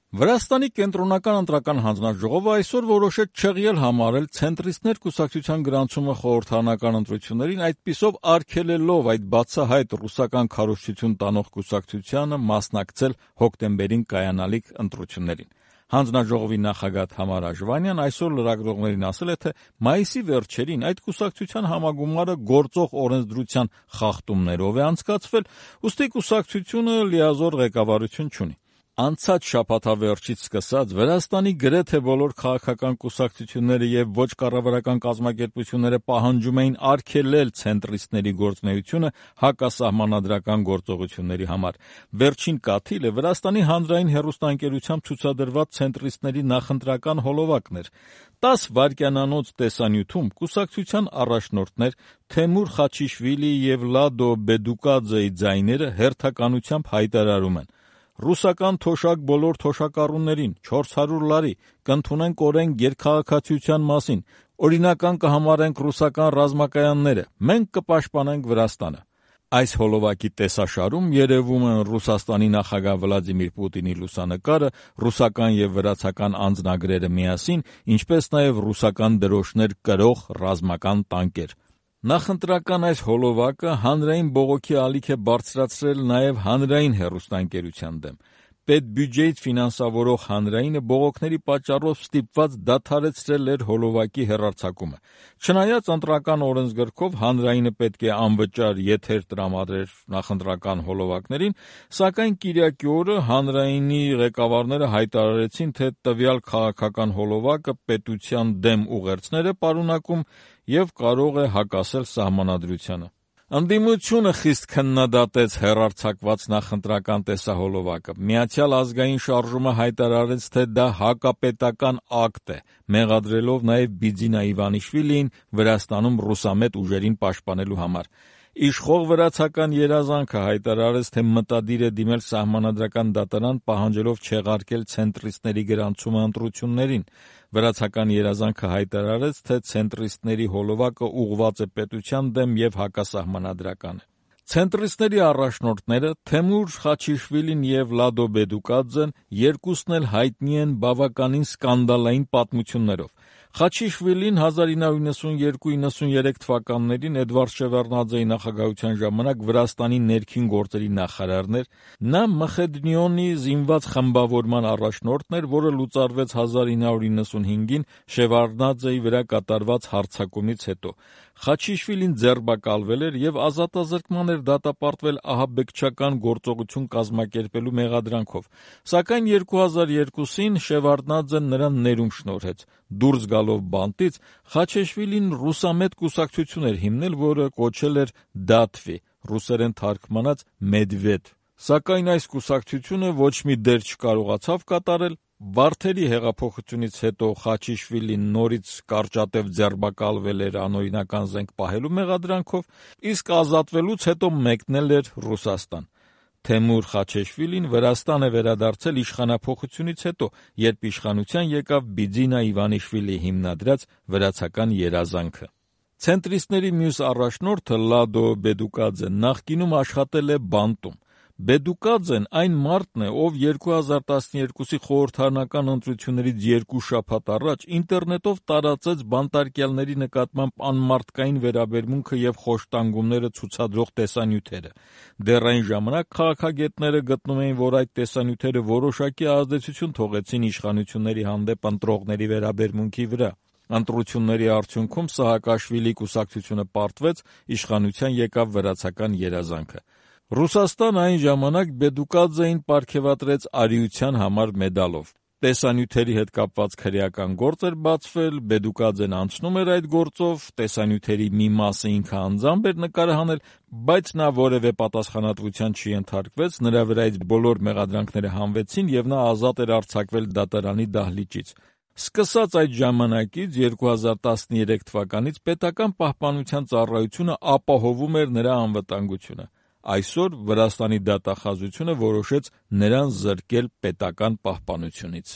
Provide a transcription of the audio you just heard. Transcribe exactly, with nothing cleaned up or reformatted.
Վրաստանի կենտրոնական ընտրական հանձնաժողովը այսօր որոշեց չեղյալ համարել ցենտրիստներ կուսակցության գրանցումը խորհրդարանական ընտրություններին, այդպիսով արգելելով այդ բացահայտ ռուսական քարոզչություն տանող կուսակցությանը մասնակցել հոկտեմբերին կայանալիք ընտրություններին։ Հանձնաժողովի նախագահ Թամար Աժվանյան այսօր լրագրողներին ասել է, թե մայիսի վերջերին այդ կուսակցության համագումարը գործող օրենսդրության խախտումներով է անցկացվել, ուստի կուսակցությունը լիազոր ղեկավարություն չունի։ Անցած շաբաթավերջից սկսած Վրաստանի գրեթե բոլոր քաղաքական կուսակցությունները եւ ոչ կառավարական կազմակերպությունները պահանջում էին արգելել ցենտրիստների գործունեությունը հակասահմանադրական գործողությունների համար։ Վերջին կաթիլը Վրաստանի հանրային հեռուստաընկերությամբ ցուցադրված ցենտրիստների նախընտրական հոլովակն էր։ տաս վայրկյանանոց տեսանյութում կուսակցության առաջնորդներ Թեմուր Խաչիշվիլիի եւ Լադո Բեդուկաձեի ձայները հերթականությամբ հայտարարում են. «Ռուսական թոշակ բոլոր թոշակառուներին, չորս հարյուր լարի, կընդունենք օրենք երկքաղաքացիության մասին, օրինական կհամարենք ռուսական ռազմակայանները, մենք կպաշտպանենք Վրաստանը»։ Այս հոլովակի տեսաշարում երևում են Ռուսաստանի նախագահ Վլադիմիր Պուտինի լուսանկարը, ռուսական եւ վրացական անձնագրերը միասին, ինչպես նաեւ ռուսական դրոշներ կրող ռազմական տանկեր։ Նախընտրական այս հոլովակը հանրային բողոքի ալիք է բարձրացրել նաև հանրային հեռուստաընկերության դեմ։ Պետբյուջեից ֆինանսավորող հանրայինը բողոքների պատճառով ստիպված դադարեցրել էր հոլովակի հեռարձակումը։ Չնայած ընտրական օրենսգրքով հանրայինը պետք է անվճար եթեր տրամադրեր նախընտրական հոլովակներին, սակայն կիրակի օրը հանրայինի ղեկավարները հայտարարեցին, թե տվյալ քաղաքական հոլովակը պետության դեմ ուղերձներ է պարունակում եւ կարող է հակասել սահմանադրությանը։ Ընդդիմությունը խիստ քննադատեց հեռարձակված նախընտրական տեսահոլովակը։ Միացյալ ազգային շարժումը հայտարարեց, թե դա հակապետական ակտ է, մեղադրելով նաև Բիձինա Իվանիշվիլիին Վրաստանում ռուսամետ ուժերին պաշտպանելու համար։ Իշխող վրացական երազանքը հայտարարեց, թե մտադիր է դիմել սահմանադրական դատարան, պահանջելով չեղարկել ցենտրիստների գրանցումը ընտրություններին։ Վրացական երազանքը հայտարարեց, թե ցենտրիստների հոլովակը ուղղված է պետության դեմ եւ հակասահմանադրական է։ Ցենտրիստների առաջնորդները Թեմուր Խաչիշվիլին եւ Լադո Բեդուկաձեն երկուսն էլ հայտնի են բավականին սկանդալային պատմություններով։ Խաչիշվիլին հազար ինը հարյուր նվաթ նվաթ թվականներին Էդվարդ Շևարդնաձեի նախագահության ժամանակ Վրաստանի ներքին գործերի նախարարն էր։ Նա Մխեդնիոնի զինված խմբավորման առաջնորդն էր, որը լուծարվեց հազար ինը հարյուր նվաթ Շևարդնաձեի վրա կատարված հարձակումից հետո։ Խաչիշվիլին ձերբակալվել էր եւ ազատազրկման էր դատապարտվել ահաբեկչական գործողություն կազմակերպելու մեղադրանքով։ Սակայն երկու հազար երկուսին Շևարդնաձեն նրան ներում շնորհեց։ Դուրս գալով բանտից Խաչիշվիլին ռուսամետ կուսակցություն էր հիմնել, որը կոչել էր Դաթվի, ռուսերեն թարգմանած Մեդվեդ։ Սակայն այս կուսակցությունը ոչ մի դեր չկարողացավ կատարել։ Վարդերի հեղափոխությունից հետո Խաչիշվիլին նորից կարճատև ձերբակալվել էր անօրինական զենք պահելու մեղադրանքով, իսկ ազատվելուց հետո մեկնել էր Ռուսաստան։ Թեմուր Խաչիշվիլին Վրաստան է վերադարձել իշխանափոխությունից հետո, երբ իշխանության եկավ Բիձինա Իվանիշվիլիի հիմնադրած վրացական երազանքը։ Ցենտրիստների մյուս առաջնորդը Լադո Բեդուկաձեն նախկինում աշխատել է բանտում։ Բեդուկաձեն այն մարդն է, ով երկու հազար տասներկուսի խորհրդարանական ընտրություններից երկու շաբաթ առաջ ինտերնետով տարածեց բանտարկյալների նկատմամբ անմարդկային վերաբերմունքը եւ խոշտանգումները ցուցադրող տեսանյութերը։ Դեռ այն ժամանակ քաղաքագետները գտնում էին, որ այդ տեսանյութերը որոշակի ազդեցություն թողեցին իշխանությունների հանդեպ ընտրողների վերաբերմունքի վրա։ Ընտրությունների արդյունքում Սահակաշվիլի կուսակցությունը պարտվեց, իշխանության եկավ վրացական երազանքը։ Ռուսաստան այն ժամանակ Բեդուկաձեին պարգևատրեց արիության համար մեդալով։ Տեսանյութերի հետ կապված քրեական գործ էր բացվել, Բեդուկաձեն անցնում էր այդ գործով, տեսանյութերի մի մասը ինքը անձամբ էր նկարահանել, բայց նա որևէ պատասխանատվության չենթարկվեց, նրա վրայից բոլոր մեղադրանքները հանվեցին եւ նա ազատ էր արձակվել դատարանի դահլիճից։ Սկսած այդ ժամանակից երկու հազար տասներեք թվականից պետական պահպանության ծառայությունը ապահովում էր նրա անվտանգությունը։ Այսօր Վրաստանի դատախազությունը որոշեց նրան զրկել պետական պահպանությունից։